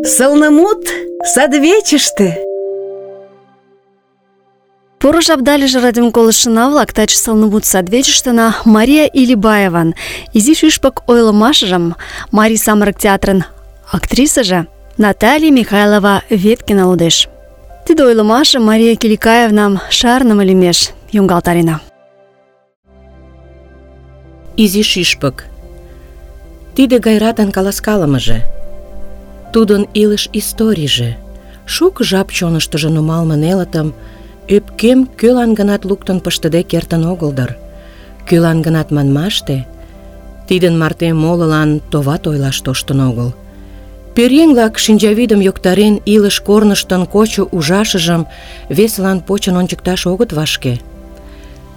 Сылнымут садвечыште. Поро жапдалиже радиом колыштшына-влак, таче сылнымут садвечыштына Мария Илибаеван изи шӱшпык ойлымашыжым Марий самырык театрын актрисыже Наталья Михайлова Веткина лудеш. Тиде ойлымашым Мария Киликаевнам шарныме лӱмеш йоҥгалтарена. Изи шӱшпык. Тиде Гайратын каласкалымыже, тудын илыш историйже, шуко жап чоныштыжо нумалме нелытым ӧпкем кӧлан-гынат луктын пыштыде кертын огыл дыр. Кӧлан-гынат манмаште, тидын марте молылан товат ойлаш тоштын огыл. Пӧръеҥ-влак шинчавӱдым йоктарен илыш корныштын кочо ужашыжым весылан почын ончыкташ огыт вашке.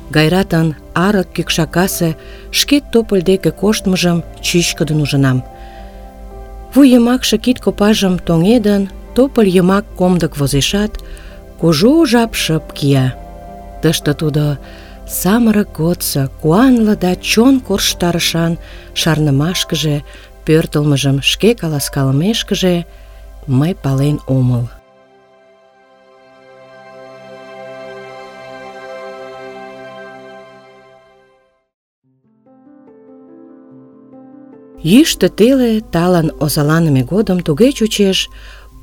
Гайратын арык кӱкшакасе шкет тополь деке коштмыжым чӱчкыдын ужынам. Вуй йымакше кид копажым тоҥедын, тополь йымак комдык возешат, кужу жап шып кия. Тыште тудо самырык годсо куанле да чон корштарышан шарнымашкыже, пӧртылмыжым шке каласкалымешкыже мый пален омыл. Йӱштӧ теле талын озаланыме годым туге чучеш,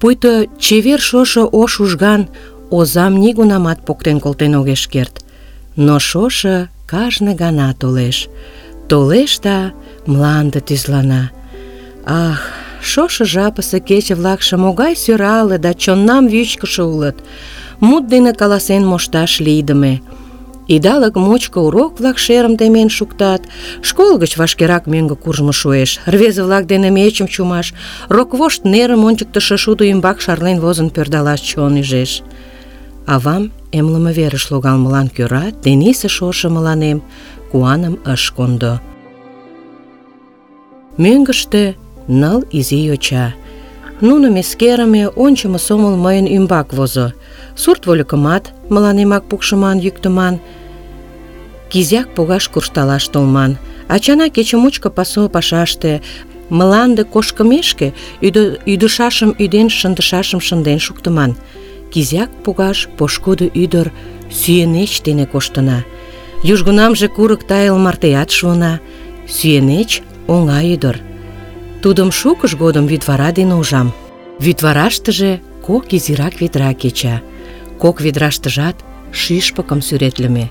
пуйто чевер шошо ош ужган озам нигунамат поктен колтен огеш керт. Но шошо кажне гана толеш. Толеш да мланде тӱзлана. Ах, шошо жапысе кече-влакше могай сӧрале да чоннам вӱчкышӧ улыт. Мут дене каласен мошташ лийдыме. Идалык мучко урок-влак шерым темен шуктат, школ гыч вашкерак мӧҥгӧ куржмо шуэш, рвезе-влак дене мечым чумаш, роквошт нерым ончыктышо шудо ӱмбак шарлен возын пӧрдалаш чон ӱжеш. Авам эмлыме верыш логалмылан кӧра тенийсе шошо мыланем куаным ыш кондо. Мӧҥгыштӧ 9 изи йоча. Нуным эскерыме, ончымо сомыл мыйын ӱмбак возо. Сурт вольыкымат мыланемак пукшыман, йӱктыман. Кизяк погаш куржталаш толман. Ачана кече мучко пасу пашаште, мланде кошкымешке ӱдышашым ӱден, шындышашым шынден шуктыман. Кизяк погаш пошкудо ӱдыр Сӱенеч дене коштына. Южгунамже курык тайыл мартеат шуына. Сӱенеч оҥай ӱдыр. Тудым шукыж годым вӱдвара дене ужам. Вӱдвараштыже 2 изирак ведра кеча. 2 ведраштыжат шӱшпыкым сӱретлыме.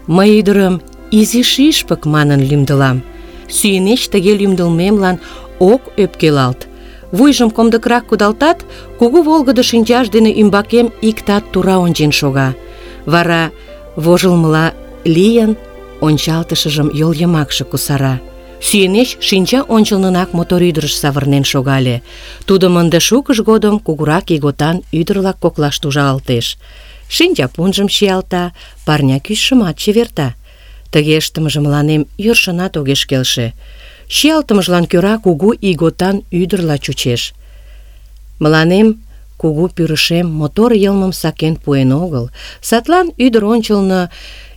Мый ӱдырым Изи шӱшпык манын лӱмдылам. Сӱенеч тыге лӱмдылмемлан ок ӧпкелалт. Вуйжым комдыкрак кудалтат, кугу волгыдо шинчаж дене ӱмбакем иктат тура ончен шога. Вара, вожылмыла лийын, ончалтышыжым йол йымакше кусара. Сӱенеч шинча ончылнынак мотор ӱдырыш савырнен шогале. Тудым ынде шукыж годым кугурак ийготан ӱдыр-влак коклаште ужалтеш. Шинчапунжым чиялта, парня кӱчшымат чеверта. Тыге ыштымыже мыланем йӧршынат огеш келше. Чиялтымыжлан кӧра кугу ийготан ӱдырла чучеш. Мыланем кугу пӱрышем мотор йылмым сакен пуэн огыл, садлан ӱдыр ончылно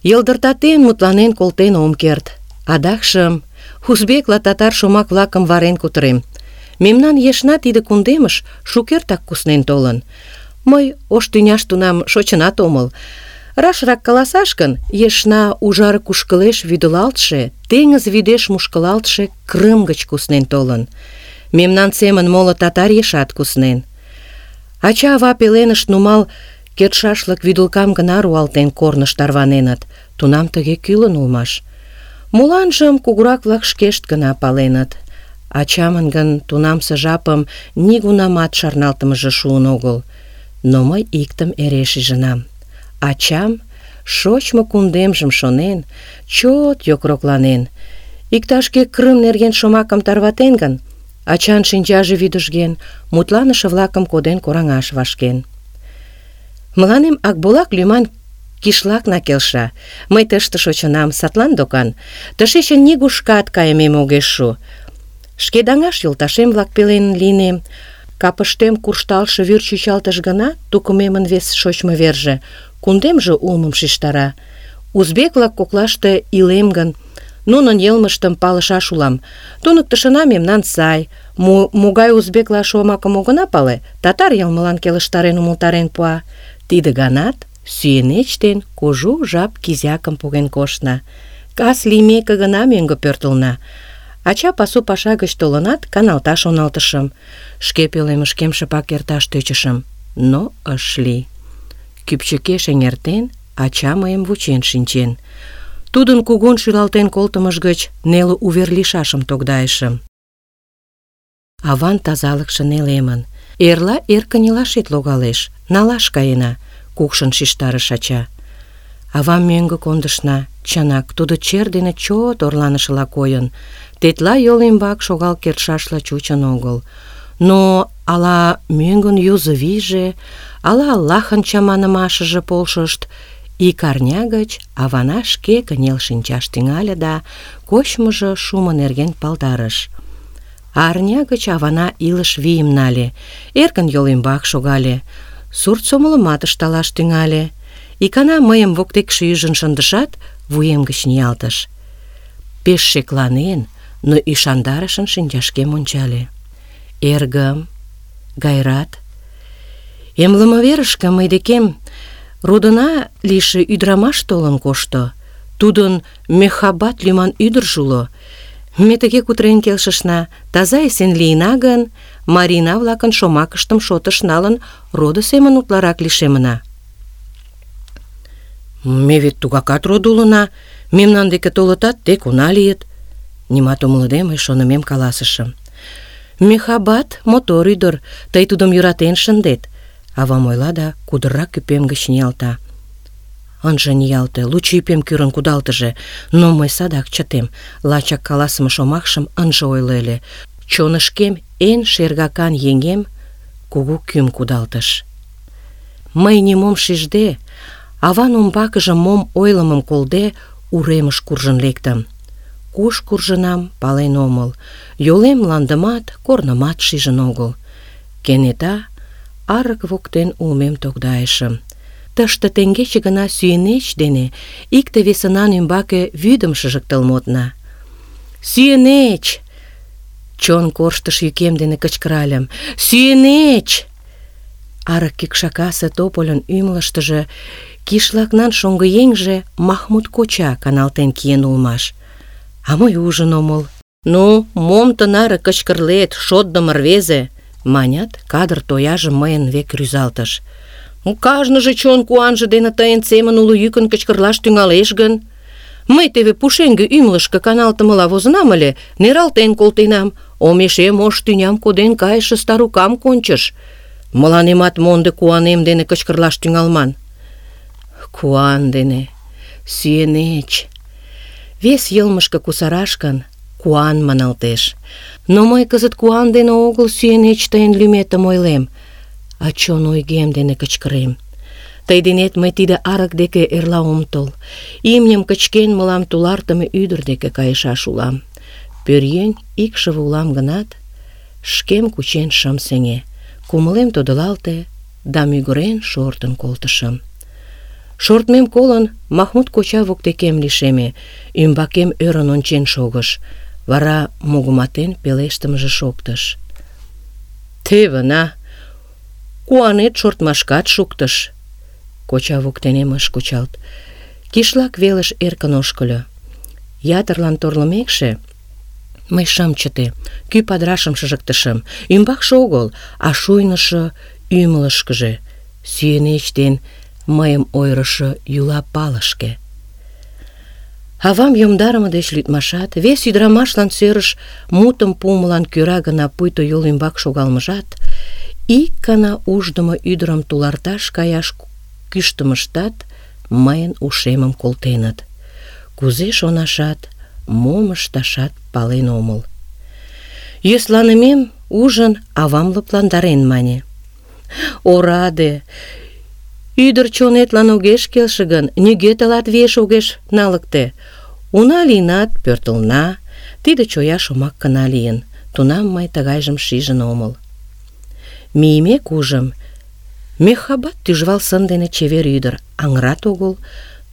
йылдыртатен мутланен колтен ом керт. Адакшым узбекла татар шомак-влакым варен кутырем. Мемнан ешна тиде кундемыш шукертак куснен толын. Мый ош тӱняш тунам шочынат омыл. Рашрак каласаш гын, ешна ужар кушкылеш вӱдылалтше, теҥыз вӱдеш мушкылалтше Крым гыч куснен толын. Мемнан семын моло татар ешат куснен. Ача-ава пеленышт нумал кертшашлык вӱдылкам гына руалтен корныш тарваненыт. Тунам тыге кӱлын улмаш. Моланжым кугурак-влак шкешт гына паленыт. Ачамын гын тунамсе жапым нигунамат шарналтымыже шуын огыл. Но мый иктым эре шижынам. Ачам, шочмо кундемжым шонен, чот йокрокланен. Иктаж-кӧ Крым нерген шомакым тарватен гын, ачан шинчаже вӱдыжген, мутланыше-влакым коден кораҥаш вашкен. Мыланем Акбулак лӱман кишлакна келша. Мый тыште шочынам, садлан докан. Тышечын нигушкат кайымем огеш шу. Шке даҥаш йолташем-влак пелен лийнем. Капыштем куржталше вӱр чӱчалтыш гына тукымемын вес шочмо верже, кундемже улмым шижтара. Узбек-влак коклаште илем гын, Нунын йылмыштым палышаш улам. Туныктышына мемнан сай. Могай узбекла шомакым огына пале, татар йылмылан келыштарен умылтарен пуа. Тиде ганат Сӱенеч ден кужу жап кизякым поген коштна. Кас лиймеке гына мӧҥгӧ пӧртылна. Ача пасу паша гыч толынат, каналташ шоналтышым. Шке пӧлемышкем шыпак эрташ тӧчышым, но ыш лий. Кӱпчыкеш эҥертен, ача мыйым вучен шинчен. Тудын кугун шӱлалтен колтымыж гыч неле увер лийшашым тогдайышым. Аван тазалыкше нелемын. Эрла эр кынелашет логалеш, налаш каена, кукшын шижтарыш ача. Авам мӧҥгӧ кондышна. Чынак, тудо чер дене чот орланышыла койын. Тетла йол ӱмбак шогал кертшашла чучын огыл. Но ала мӧҥгын юзо вийже, ала Аллахын чаманымашыже полшышт. Ик арня гыч авана шке кынел шинчаш тӱҥале да кочмыжо шумо нерген палдарыш. Арня гыч авана илыш вийым нале, эркын йол ӱмбак шогале, сурт сомылымат ышталаш тӱҥале. Икана мыйым воктекше ӱжын шындышат, вуем гыч ниялтыш. Пеш шекланен, но ӱшандарышын шинчашкем ончале. Эргым, Гайрат, эмлыме верышке мый декем родына лийше ӱдырамаш толын кошто. Тудын Мехаббат лӱман ӱдыржӧ уло. Ме тыге кутырен келшышна: таза эсен лийына гын, марийна-влакын шомакыштым шотыш налын, родо семын утларак лишемына. Ме вет тугакат родо улына, мемнан деке толытат, тек уна лийыт. Нимат умылыде мый шонымем каласышым. Мехаббат мотор ӱдыр, тый тудым йӧратен шындет. Авам ойла да кудыррак ӱпем гыч ниялта. Ынже ниялте, лучо ӱпем кӱрын кудалтыже, но мый садак чытем. Лачак каласыме шомакшым ынже ойло ыле. Чонышкем эн шергакан еҥем кугу кӱм кудалтыш. Мый нимом шижде, аван умбакыже мом ойлымым колде, уремыш куржын лектым. Куш куржынам, пален омыл. Йолем мландымат, корнымат шижын огыл. Кенета арык воктен улмем тогдайышым. Тыште теҥгече гына Сӱенеч дене икте-весынан ӱмбаке вӱдым шыжыктыл модна. «Сӱенеч!» Чон корштыш йӱкем дене кычкыральым. «Сӱенеч!» Арык кӱкшакасе топольын ӱмылыштыжӧ кишлакнан шоҥгыеҥже Махмуд коча каналтен киен улмаш. А мый ужын омыл. «Ну, мом тынаре кычкырлет, шотдымо рвезе?» манят, кадыр тояжым мыйын век рӱзалтыш. «Кажныже чон куанже дене тыйын семын уло йӱкын кычкырлаш тӱҥалеш гын? Мый теве пушеҥге ӱмылышкӧ каналтымыла возынам ыле, нералтен колтенам, омешем ош тӱням коден кайыше старукам кончыш. Мыланемат монде куанем дене кычкырлаш тӱҥалман». Куан дене, Сӱенеч. Вес йылмышке кусараш гын, куан маналтеш. Но мый кызыт куан дене огыл Сӱенеч тыйын лӱметым ойлем, а чон ойгем дене кычкырем. Тый денет мый тиде арык деке эрла ом тол. Имньым кычкен мылам тулартыме ӱдыр деке кайышаш улам. Пӧръеҥ икшыве улам гынат, шкем кучен шым сеҥе. Кумылем тодылалте да мӱгырен шортын колтышым. Шортмем колын, Махмуд коча воктекем лишеме, ӱмбакем ӧрын ончен шогыш. Вара мугыматен пелештымыже шоктыш. «Теве на, куанет шортмашкат шуктыш». Коча воктенем ыш кучалт. Кишлак велыш эркын ошкыльо. Ятырлан торлымекше, мый шым чыте, кӱ падырашым шыжыктышым. Ӱмбакше огыл, а шуйнышо ӱмылышкыжӧ, Сӱенеч ден мыйым ойырышо йӱла палышке. Авам йомдарыме деч лӱдмашат, вес ӱдырамашлан сӧрыш мутым пуымылан кӧра гына пуйто йол ӱмбак шогалмыжат, ик гана уждымо ӱдырым туларташ каяш кӱштымыштат мыйын ушемым колтеныт. Кузе шонашат, мом ышташат пален омыл. Йӧсланымем ужын, авам лыпландарен мане: «Ораде! Ӱдыр чонетлан огеш келше гын, нигӧ тылат виеш огеш налыкте. Уна лийынат, пӧртылна». Тиде чоя шомак гына лийын. Тунам мый тыгайжым шижын омыл. Мийымек ужым: Мехаббат тӱжвал сын дене чевер ӱдыр, аҥырат огыл,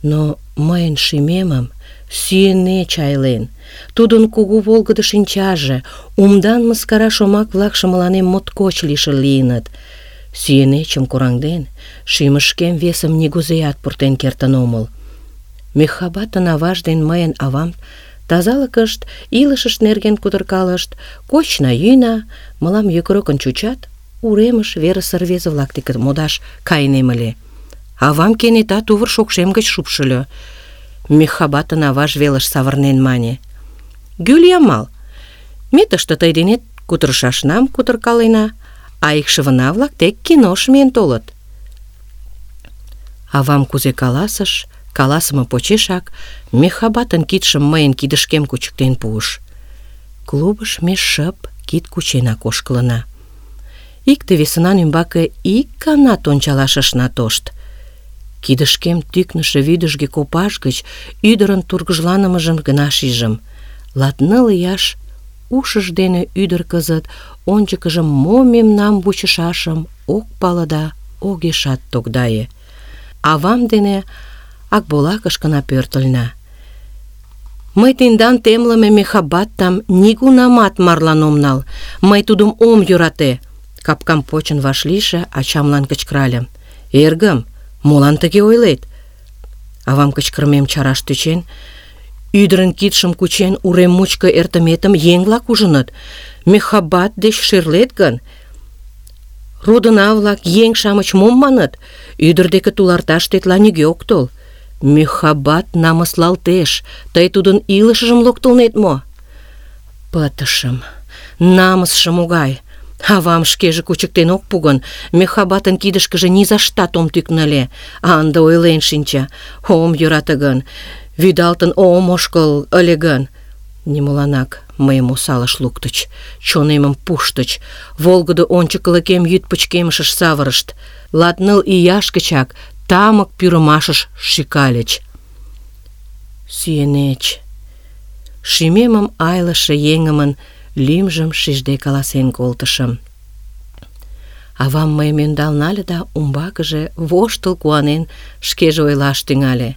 Но мыйын шӱмемым сүйенеч айлен. Тудын кугу волгыдо шинчаже, умдан мыскара шомак-влакше мыланем моткоч лишыл лийыныт. Сүйенечым кораҥден, шӱмышкем весым нигузеат пуртен кертын омыл. Мехабатын аваж ден мыйын авам тазалыкышт, илышышт нерген кутыркалышт, кочна-йӱна, мылам йокрокын чучат, уремыш верысе рвезе-влак деке модаш кайынем ыле. Авам кенета тувыр шокшем гыч шупшыльо. Мехабатын аваж велыш савырнен мане: «Гюльямал, ме тыште тый денет кутырышашнам кутыркалена, а икшывына-влак тек кинош миен толыт». Авам кузе каласыш, каласыме почешак Мехабатын кидшым мыйын кидышкем кучыктен пуыш. Клубыш ме шып кид кученак ошкылына. Икте-весынан ӱмбаке ик ганат ончалаш ышна тошт. Кидышкем тӱкнышӧ вӱдыжгӧ копаж гыч ӱдырын тургыжланымыжым гына шижым. 19 ияш ушыж дене ӱдыр кызыт ончыкыжо мо мемнам вучышашым ок пале да огешат тогдае. Авам дене Акболакышкына пӧртыльна. «Мый тендан темлыме Мехабаттам нигунамат марлан ом нал. Мый тудым ом йӧрате!» Капкам почын вашлийше ачамлан кычкыральым. «Эргым, молан тыге ойлет?» Авам кычкырымем чараш тӧчен, ӱдырын кидшым кучен, урем мучко эртыметым еҥ-влак ужыныт. Мехабат деч шӧрлет гын, родына-влак, еҥ-шамыч мом маныт? Ӱдыр деке туларташ тетла нигӧ ок тол. Мехабат намыслалтеш. Тый тудын илышыжым локтылнет мо? Пытышым. Намысше могай. Авам шкеже кучыктен ок пу гын, Мехабатын кидышкыже низаштат ом тӱкнӧ ыле. А ынде ойлен шинча: ом йӧрате гын, вӱдалтын ом ошкыл ыле гын. Нимоланак мыйым осалыш луктыч, чонемым пуштыч, волгыдо ончыкылыкем йӱд пычкемышыш савырышт. 19 ияш гычак тамык пӱрымашыш шӱкальыч. Сүйенеч. Шӱмемым айлыше еҥымын лӱмжым шижде каласен колтышым. Авам мыйым ӧндал нале да умбакыже воштыл куанен шкеже ойлаш тӱҥале.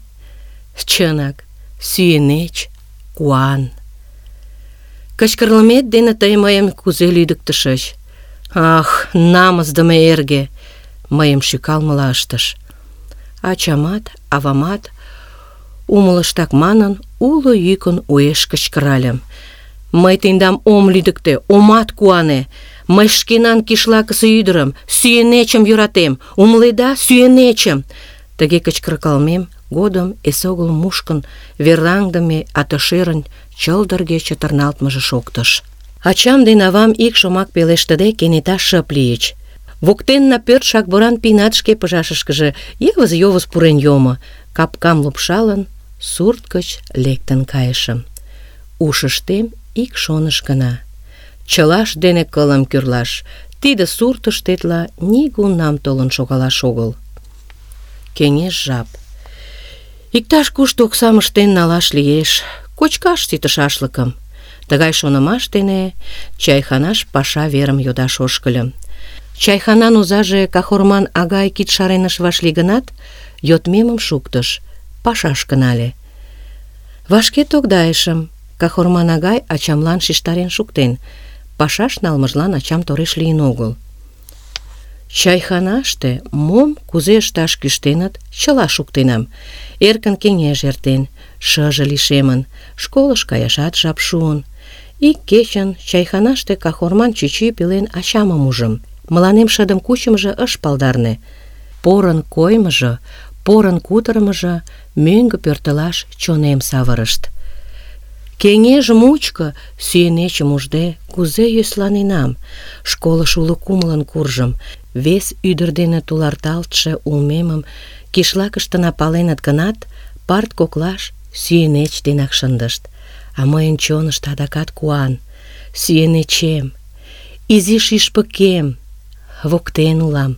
Чынак, сүйенеч, куан. Кычкырлымет дене тый мыйым кузе лӱдыктышыч. Ах, намысдыме эрге! Мыйым шӱкалмыла ыштыш. Ачамат, авамат, умылыштак манын, уло йӱкын уэш кычкыральым. Мый тендам ом лӱдыктӧ, омат куане. Мый шкенан кишлакысе ӱдырым, сүйенечым йӧратем. Умыледа, сүйенечым! Тыге кычкыркалмем годым эсогыл мушкын вераҥдыме атышӧрын чылдырге чытырналтмыже шоктыш. Ачам ден авам ик шомак пелештыде кенета шып лийыч. Воктенна пӧрт Шакборан пийнат шке пыжашышкыже йывыз-йовыз пурен йомо. Капкам лупшалын, сурт гыч лектын кайышым. Ушыштем ик шоныш гына: чылаш дене кылым кӱрлаш, тиде суртыш тетла нигунам толын шогалаш огыл. Кеҥеж жап. Иктаж-кушто оксам ыштен налаш лиеш, кочкаш сите шашлыкым. Тыгай шонымаш дене чайханаш паша верым йодаш ошкыльым. Чайханан озаже Кахорман агай кид шарен ыш вашлий гынат, йодмемым шуктыш, пашашке нале. Вашке тогдайышым. Кахорман агай ачамлан шижтарен шуктен. Пашаш налмыжлан ачам тореш лийын огыл. Чайханаште мом кузе ышташ кӱштеныт, чыла шуктенам. Эркын кеҥеж эртен, шыже лишемын, школыш каяшат жап шуын. Ик кечын чайханаште Кахорман чӱчӱ пелен ачамым ужым. Мыланем шыдым кучымыжо ыш палдарне. Порын коймыжо, порын кутырымыжо мӧҥгӧ пӧртылаш чонем савырышт. Кеҥеж мучко сүйенечым ужде кузе йӧсланенам. Школыш уло кумылын куржым. Вес ӱдыр дене туларталтше улмемым кишлакыштына паленыт гынат, парт коклаш сүйенеч денак шындышт. А мыйын чонышто адакат куан. Сүйенечем, изи шӱшпыкем, воктен улам.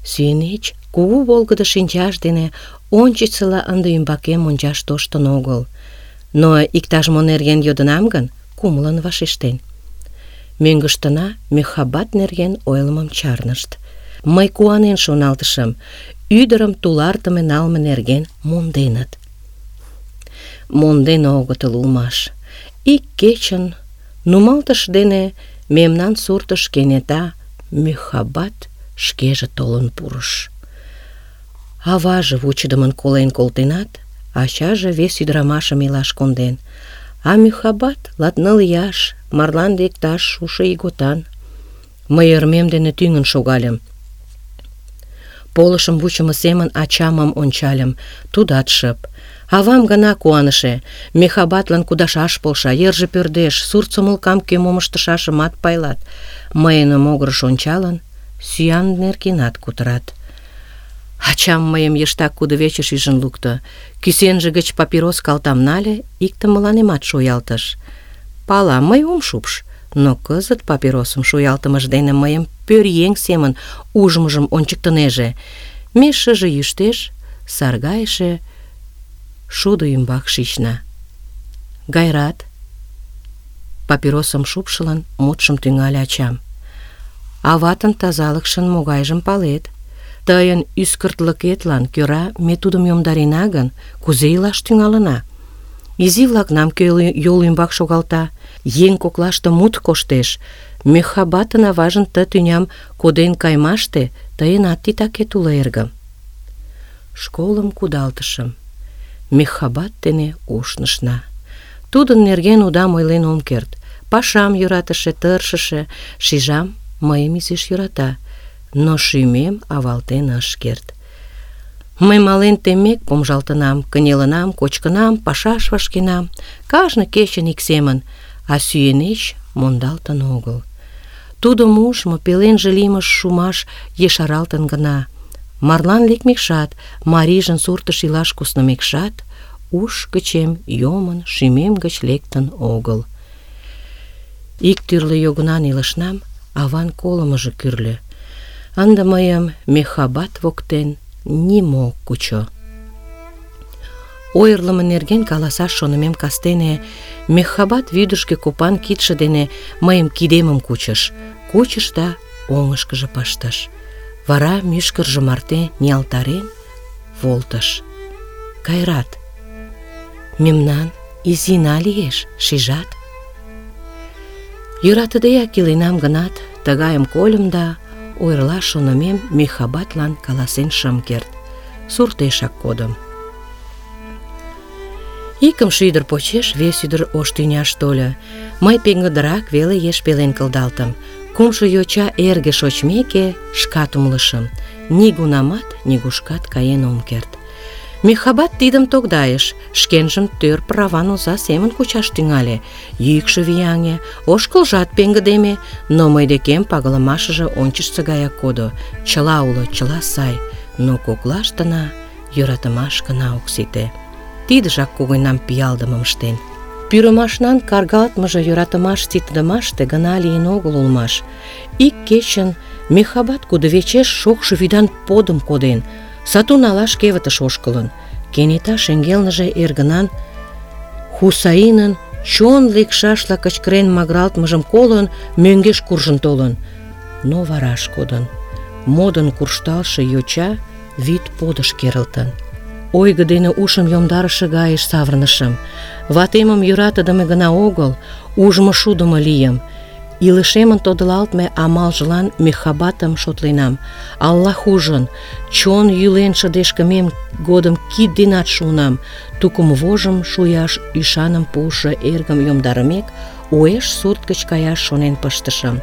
Сүйенеч кугу волгыдо шинчаж дене ончычсыла ынде ӱмбакем ончаш тоштын огыл. Но иктаж-мо нерген йодынам гын, кумылын вашештен. Мӧҥгыштына Мехабат нерген ойлымым чарнышт. Мый куанен шоналтышым: ӱдырым тулартыме налме нерген монденыт. Монден огытыл улмаш. Ик кечын нумалтыш дене мемнан суртыш кенета Мехабат шкеже толын пурыш. Аваже вучыдымын колен колтенат, ачаже вес ӱдырамашым илаш конден, а Мехабат 24 ияш, марлан лекташ шушо ийготан. Мый ӧрмем дене тӱҥын шогальым. Полышым вучымо семын ачамым ончальым, тудат шып. Авам гына куаныше, Мехабатлан кудашаш полша, йырже пӧрдеш, сурт сомылкам кӧ мом ыштышашымат пайлат. Мыйын могырыш ончалын, сӱан нергенат кутырат. Ачам мыйым йыштак кудывечыш ӱжын лукто, кӱсенже гыч папирос калтам нале, иктым мыланемат шуялтыш. Пала, мый ом шупш, но кызыт папиросым шуялтымыж дене мыйым пӧръеҥ семын ужмыжым ончыктынеже. Ме шыже йӱштеш саргайыше шудо ӱмбак шична. Гайрат, папиросым шупшылын, мутшым тӱҥале ачам. Аватын тазалыкшын могайжым палет. Тыйын ӱскыртлыкетлан кӧра ме тудым йомдарена гын, кузе илаш тӱҥалына? Изи-влакнам кӧ йол ӱмбак шогалта? Еҥ коклаште мут коштеш. Мехабатын аважын ты тӱням коден кайымаште тыйынат титакет уло, эргым. Школым кудалтышым. Мехабат дене ушнышна. Тудын нерген удам ойлен ом керт. Пашам йӧратыше, тыршыше, шижам, мыйым изиш йӧрата, но шӱмем авалтен ыш керт. Мый мален теммек помыжалтынам, кынелынам, кочкынам, пашаш вашкенам, кажне кечын ик семын, а сүйенеч мондалтын огыл. Тудым ужмо, пеленже лиймыж шумаш ешаралтын гына. Марлан лекмекшат, марийжын суртыш илаш куснымекшат, уш гычем йомын, шӱмем гыч лектын огыл. Ик тӱрлӧ йогынан илышнам аван колымыжо кӱрльӧ. Ынде мыйым Мехабат воктен нимо ок кучо. Ойырлымо нерген каласаш шонымем кастене Мехабат вӱдыжгӧ копан кидше дене мыйым кидемым кучыш да оҥышкыжо пыштыш. Вара мӱшкыржӧ марте ниялтарен волтыш. Гайрат, мемнан изина лиеш, шижат? Йӧратыдеак иленам гынат, тыгайым кольым да ойырлаш шонымем Мехабатлан каласен шым керт. Суртешак кодым. Икымше ӱдыр почеш вес ӱдыр ош тӱняш тольо. Мый пеҥгыдырак веле еш пелен кылдалтым. Кумшо йоча эрге шочмеке, шкат умылышым: нигунамат нигушкат каен ом керт. Мехабат тидым тогдайыш, шкенжым тӧр праван оза семын кучаш тӱҥале. Йӱкшӧ вияҥе, ошкылжат пеҥгыдеме, но мый декем пагалымашыже ончычсо гаяк кодо. Чыла уло, чыла сай, но коклаштына йӧратымаш гына ок сите. Тидыжак когыньнам пиалдымым ыштен. Пӱрымашнан каргалтмыже йӧратымаш ситыдымаште гына лийын огыл улмаш. Ик кечын Мехабат кудывечеш шокшо вӱдан подым коден, сату налаш кевытыш ошкылын. Кенета шеҥгелныже эргынан Хусаинын чон лекшашла кычкырен магыралтмыжым колын, мӧҥгеш куржын толын. Но вараш кодын. Модын куржталше йоча вӱд подыш керылтын. Ойго дене ушым йомдарыше гайыш савырнышым. Ватемым йӧратыдыме гына огыл, ужмо шудымо лийым. Илышемын тодылалтме амалжылан Мехабатым шотленам. Аллах ужын, чон йӱлен шыдешкымем годым кид денат шуынам. Тукым вожым шуяш ӱшаным пуышо эргым йомдарымек, уэш сурт гыч каяш шонен пыштышым.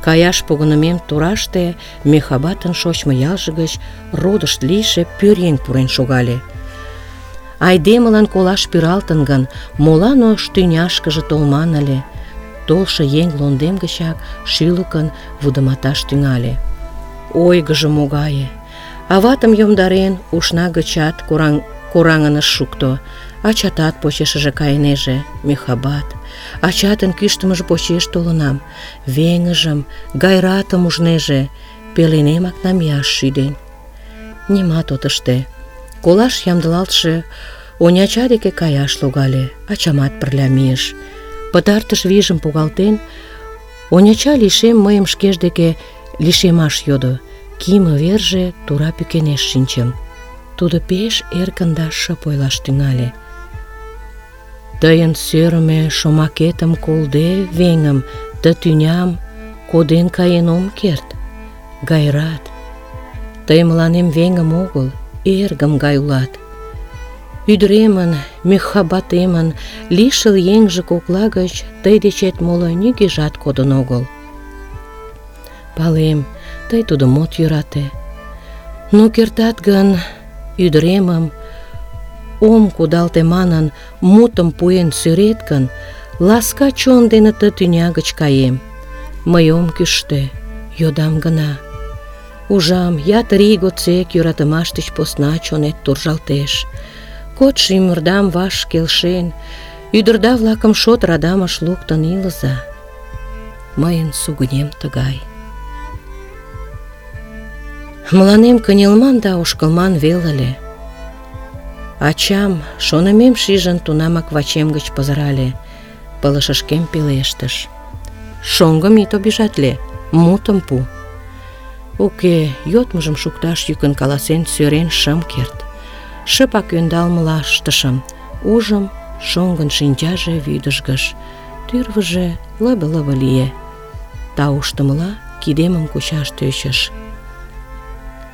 Каяш погынымем тураште Мехабатын шочмо ялже гыч родышт лийше пӧръеҥ пурен шогале. Айдемылан колаш пӱралтын гын, молан ош тӱняшкыже толман ыле? Толшо еҥ лондем гычак шӱлыкын вудыматаш тӱҥале. Ойгыжо могае! Аватым йомдарен, ушна гычат кораҥын ыш шукто. Ачатат почешыже кайынеже, Мехабат. Ачатын кӱштымыж почеш толынам. Веҥыжым, Гайратым ужнеже, пеленемак намияш шӱден. Нимат от ыште. Колаш ямдылалтше Оняча деке каяш логале, ачамат пырля мийыш. Пытартыш вийжым погалтен, Оняча лишем мыйым шкеж деке лишемаш йодо. кийыме верже тура пӱкенеш шинчым. Тудо пеш эркын да шып ойлаш тӱҥале. Тыйын сӧрымӧ шомакетым колде, веҥым, ты тӱням коден каен ом керт. Гайрат, тый мыланем веҥым огыл, эргым гай улат. Ӱдыремын, мӱхабатемын лишыл еҥже кокла гыч тый дечет моло нигӧжат кодын огыл. Палем, тый тудым от йӧрате. Но кертат гын, ӱдыремым ом кудалте манын мутым пуэн сӧрет гын, ласка чон дене ты тӱня гыч каем. Мый ом кӱштӧ, йодам гына. Ужам, ятыр ий годсек йӧратымаш деч посна чонет туржалтеш. Кодшо ӱмырдам ваш келшен, ӱдырда-влакым шот радамыш луктын илыза. Мыйын сугынем тыгай. Мыланем кынелман да ошкылман вел ыле. Ачам, шонымем шижын, тунамак вачем гыч пызырале, пылышышкем пелештыш: «Шоҥгым ит обижатле, мутым пу». Уке, йодмыжым шукташ йӱкын каласен сӧрен шым керт. Шыпак ӧндалмыла ыштышым. Ужым, шоҥгын шинчаже вӱдыжгыш, тӱрвыжӧ лыбе-лыбе лие. Тауштымыла кидемым кучаш тӧчыш.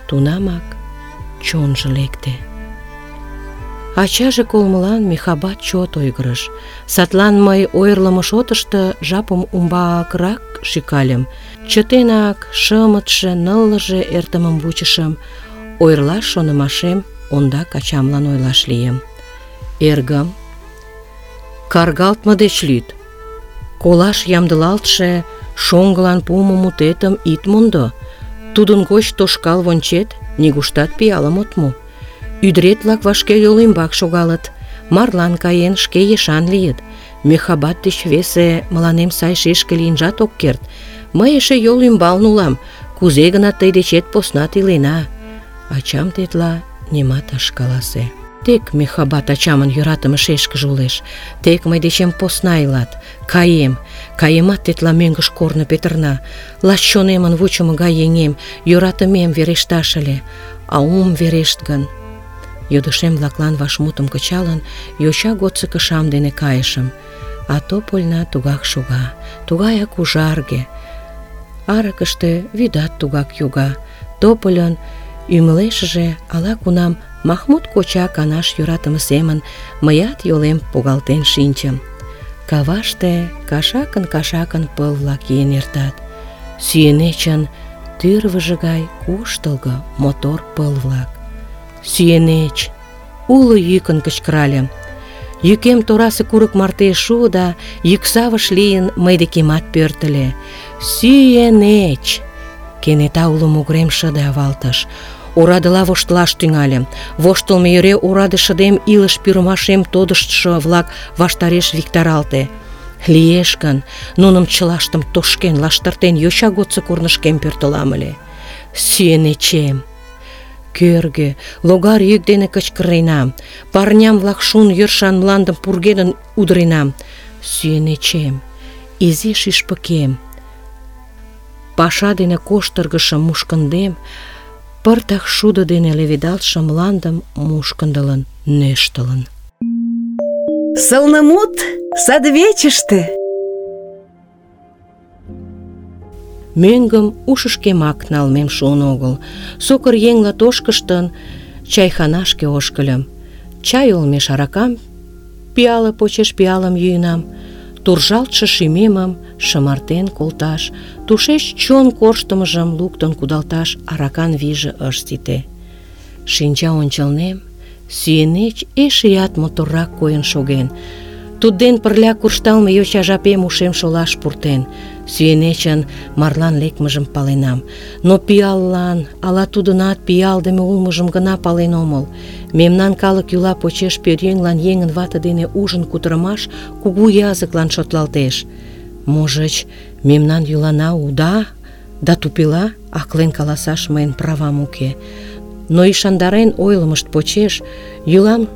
Тунамак чонжо лекте. Ачаже колмылан Михабат чот ойгырыш. Садлан мый ойырлымо шотышто жапым умбакрак шӱкальым. Чытенак шымытше, ныллыже эртымым вучышым. Ойырлаш шонымашем ондак ачамлан ойлаш лийым. «Эргым, каргалтме деч лӱд. Колаш ямдылалтше шоҥгылан пуымо мутетым ит мондо. Тудын гоч тошкал вончет, нигуштат пиалым от му. Ӱдырет-влак вашке йол ӱмбак шогалыт, марлан каен, шке ешан лийыт. Мехабат деч весе мыланем сай шешке лийынжат ок керт. Мый эше йол ӱмбалне улам, кузе-гынат тый дечет поснат илена». Ачам тетла нимат ыш каласе. Тек Мехабат ачамын йӧратыме шешкыже улеш, тек мый дечем посна илат. Каемат тетла мӧҥгыш корно петырна. Лач чонемын вучымо гай еҥем, йӧратымем верешташ ыле. А ом верешт гын? Йодышем-влаклан вашмутым кычалын, йоча годсо кышам дене кайышым. А Топольна тугак шога, тугаяк ужарге. Аракыште вӱдат тугак йога. Топольын ӱмылешыже ала-кунам Махмуд коча канаш йӧратыме семын мыят йолем погалтен шинчым. Каваште кашакын-кашакын пыл-влак ийын эртат. Сӱенечын тӱрвыжӧ гай куштылго, мотор пыл-влак. «Сӱенеч!» уло йӱкын кычкыральым. Йӱкем торасе курык марте шуо да йӱксавыш лийын мый декемат пӧртыльӧ. «Сӱенеч!» Кенета уло могырем шыде авалтыш. Орадыла воштылаш тӱҥальым. Воштылмо йӧре ораде шыдем илыш пӱрымашем тодыштшо-влак ваштареш виктаралте. Лиеш гын, нуным чылаштым тошкен, лаштыртен йоча годсо корнышкем пӧртылам ыле. Сӱенечем! Кӧргӧ, логар йӱк дене кычкыренам. Парням-влак шун йӧршан мландым пургедын удыренам. Сӱенечем! Изи шӱшпыкем! Паша дене коштыргышо мушкындем пыртак шудо дене леведалтше мландым мушкындылын, нӧштылын. Сылнымут садвечыште. Мӧҥгым ушышкемак налмем шуын огыл. Сокыр еҥла тошкыштын, чайханашке ошкыльым. Чай олмеш аракам пиале почеш пиалым йӱынам. Туржалтше шӱмемым шымартен колташ, тушеч чон корштымыжым луктын кудалташ аракан вийже ыш сите. Шинча ончылнем сӱенеч эшеат моторрак койын шоген. Тудден пырля куржталме йоча жапем ушем шолаш пуртен. Сӱенечын марлан лекмыжым паленам. Но пиаллан, ала тудынат пиалдыме улмыжым гына пален омыл. Мемнан калык йӱла почеш пӧръеҥлан еҥын вате дене ужын кутырымаш кугу языклан шотлалтеш. Можыч, мемнан йӱлана уда да тупела, аклен каласаш мыйын правам уке. Но ӱшандарен ойлымышт почеш йӱлам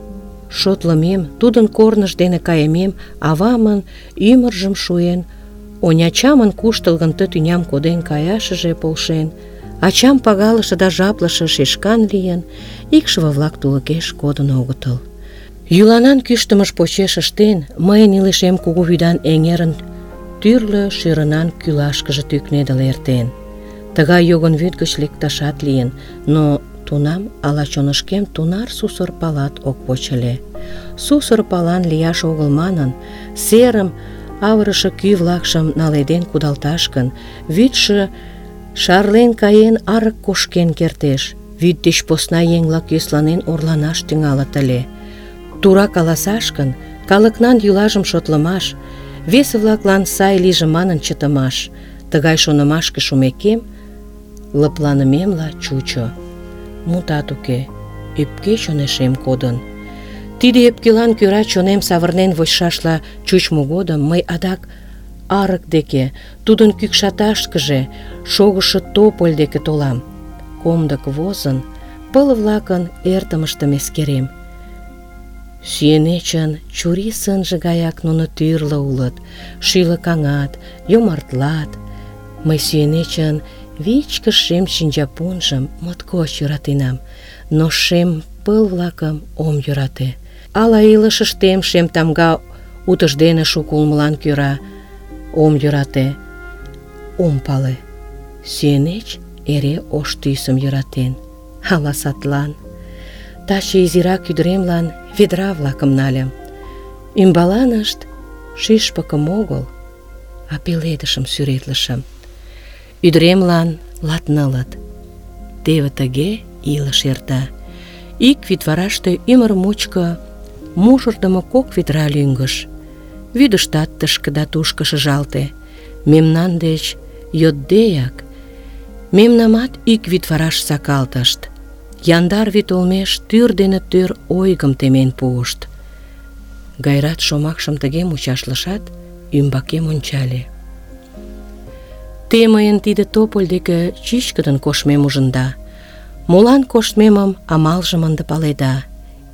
шотлымем, тудын корныж дене кайымем авамын ӱмыржым шуен, онячамын куштылгын ты тӱням коден каяшыже полшен, Ачам пагалыше да жаплыше шешкан лийын, икшыве-влак тулыкеш кодын огытыл. Йӱланан кӱштымыж почеш ыштен, мыйын илышем кугу вӱдан эҥерын тӱрлӧ шӱрынан кӱлашкыже тӱкнедыл эртен. Тыгай йогын вӱд гыч лекташат лийын, но тунам ала чонышкем тунар сусыр палат ок воч ыле. Сусыр палан лияш огыл манын, серым авырыше кӱ-влакшым наледен кудалташ гын, вӱдшӧ шарлен каен арык кошкен кертеш. Вӱд деч посна еҥ-влак йӧсланен орланаш тӱҥалыт ыле. Тура каласаш гын, калыкнан йӱлажым шотлымаш, весе-влаклан сай лийже манын чытымаш. Тыгай шонымашке шумекем, лыпланымемла чучо. Мутат уке, ӧпке чонешем кодын. Тиде ӧпкелан кӧра чонем савырнен вочшашла чучмо годым мый адак арык деке, тудын кӱкшаташкыже, шогышо тополь деке толам. Комдык возын, пыл-влакын эртымыштым эскерем. Сүйенечын чурий сынже гаяк нуно тӱрлӧ улыт, шӱлыкаҥат, йомартлат. Мый сүйенечын вичкыж шем шинчапунжым моткоч йӧратенам, но шем пыл-влакым ом йӧрате. Ала илышыштем шем тамга утыждене шуко улмылан кӧра ом йӧрате, ом пале. Сүйенеч эре ош тӱсым йӧратен. Ала садлан. Таче изирак ӱдыремлан ведра-влакым нальым. Ӱмбаланышт шӱшпыкым огыл, а пеледышым сӱретлышым. Ӱдыремлан 24. Теве тыге илыш эрта. Ик вӱдвараште ӱмыр мучко мужырдымо 2 ведра лӱҥгыш. Вӱдыштат тышке да тушко шыжалте. Мемнан деч йоддеак мемнамат ик вӱдвараш сакалтышт. Яндар вӱд олмеш тӱр дене тӱр ойгым темен пуышт. Гайрат шомакшым тыге мучашлышат, ӱмбакем ончале. Те мыйын тиде тополь деке чӱчкыдын коштмем ужында. Молан коштмемым амалжым ынде паледа.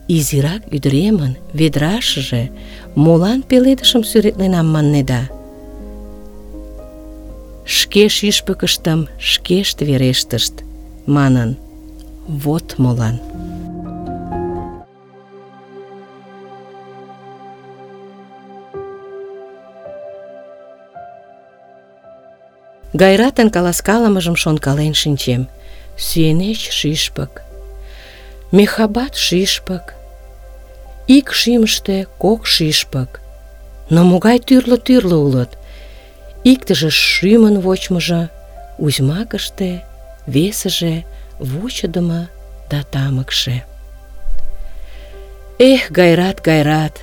Изирак ӱдыремын ведрашыже молан пеледышым сӱретленам маннеда. Шке шӱшпыкыштым шкешт верештышт, манын. Вот молан. Гайратын каласкалымыжым шонкален шинчем. Сүйенеч шӱшпык, Мехабат шӱшпык, ик шӱмыштӧ 2 шӱшпык. Но могай тӱрлӧ-тӱрлӧ улыт. Иктыже шӱмын вочмыжо узьмакыште, весыже вучыдымо да тамыкше. Эх, Гайрат, Гайрат!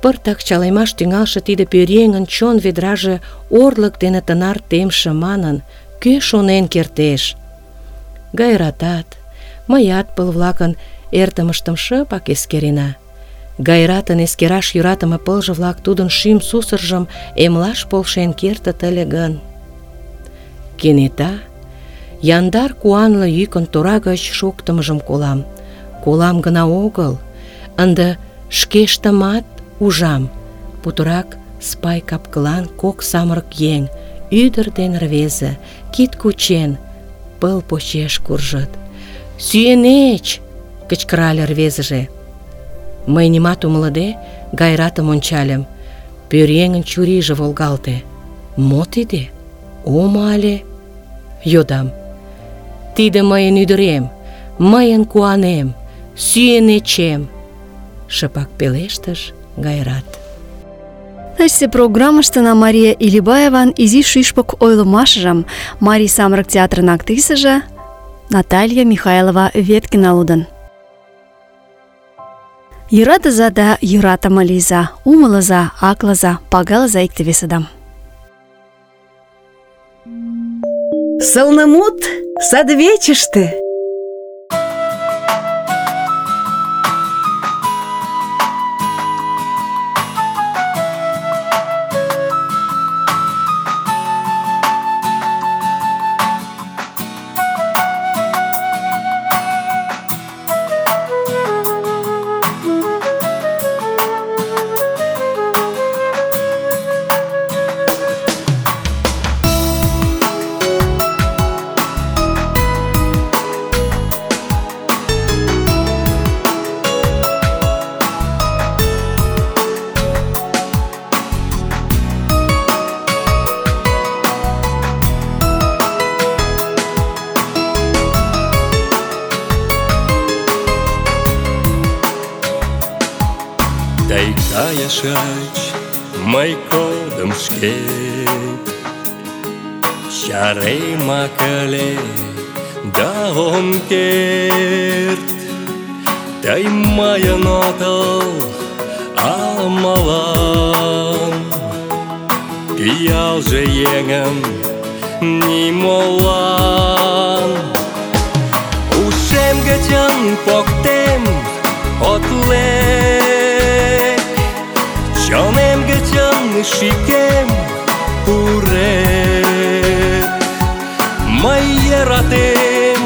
Пыртак чалемаш тӱҥалше тиде пӧръеҥын чон ведраже орлык дене тынар темше манын, кӧ шонен кертеш? Гайратат, мыят пыл-влакын эртымыштым шыпак эскерена. Гайратын эскераш йӧратыме пылже-влак тудын шӱм сусыржым эмлаш полшен кертыт ыле гын. Кенета яндар куанле йӱкын тора гыч шоктымыжым колам. Колам гына огыл, ынде шкештымат ужам. Путырак спай капкылан 2 самырык еҥ, ӱдыр ден рвезе, кид кучен, пыл почеш куржыт. «Сүйенеч!» — кычкырале рвезыже. Мый нимат умылыде Гайратым ончальым. Пӧръеҥын чурийже волгалте. «Мо тиде? Омо але?» — йодам. «Тиде мыйын ӱдырем, мыйын куанем, сүйенечем!» — шыпак пелештыш Гайрат. Тачысе программыштына Мария Илибаеван изи шӱшпык ойлымашыжым Марий самырык театрын актрисыже Наталья Михайлова Веткина лудын. Йӧратыза да йӧратыме лийза, умылыза, аклыза, пагалыза икте-весыдам. Сылнымут садвечыште. кайышыч мый кодым шкет. Чаремак ыле да ом керт, тый мыйын отыл, а мылам пиалже еҥын нимолан. Ушем гычын поктем от лек, чонем гычын шикем пурет. Мый йӧратем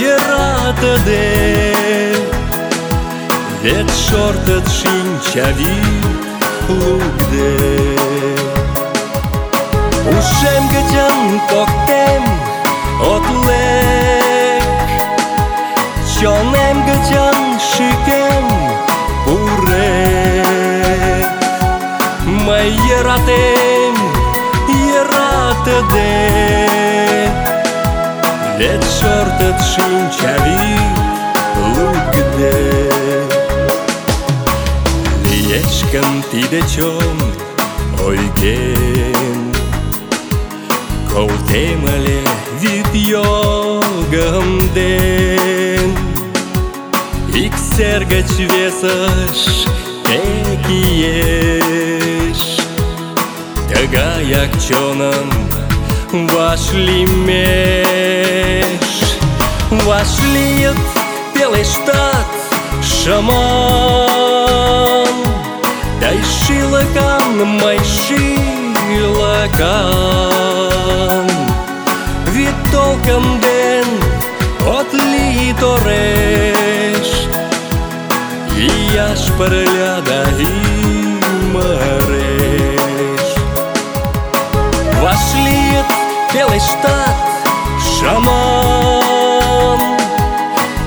йӧратыде, вет шортыт шинчавӱд лукде. Ушем гычын поктем от лек, чонем гычын шикем пурет. Мый йӧратем йӧратыде, вет шортыт шинчавӱд лукде. Лиеш гын тиде чон ойгем, колтем ыле вӱд йогым ден. Ик сер гыч весыш тек иеш, тыгаяк чоным вашлиймеш. Вашлийыт, пелештат шыман, тый шӱлыкан, мый шӱлыкан. Вӱд толкын ден от лий тореш, ияш пырля да ӱмыреш. Вашлийыт, пелештат шыман,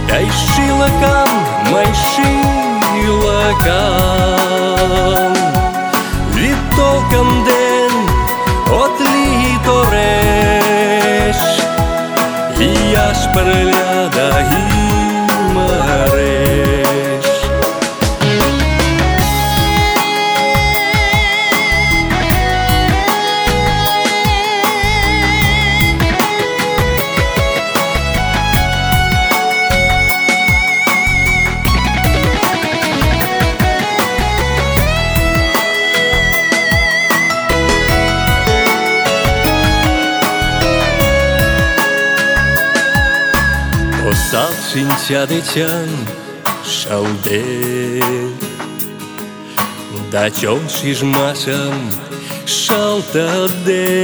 тый шӱлыкан, мый шӱлыкан. Вӱд толкын ден от лий тореш, ияш пырля да ӱмыреш. Осал шинча дечын шылтет, да чон шижмашым шылтыде.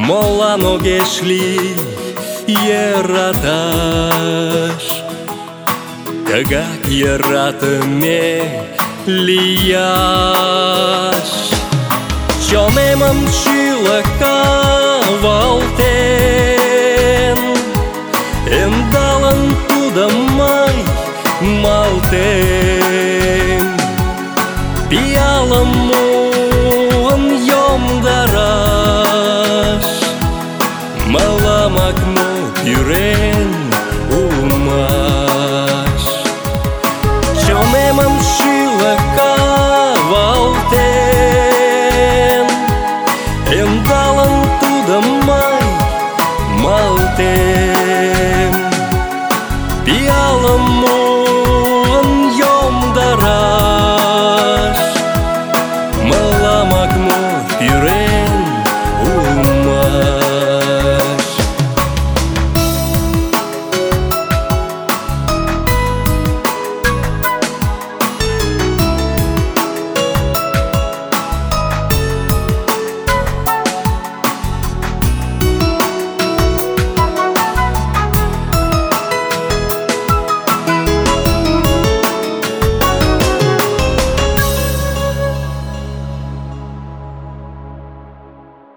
Молан огеш лий йӧраташ, тыгак йӧратыме лияш. Чонемым шӱлыкавалтен, ӧндалын тудым мый малтем. Пиалым муын йомдараш, мыламак мо пӱрен улмаш. Чонемым шӱлыкавалтен, ӧндалын тудым мый малтем. Пиалым муын йомдараш, мыламак мо пӱрен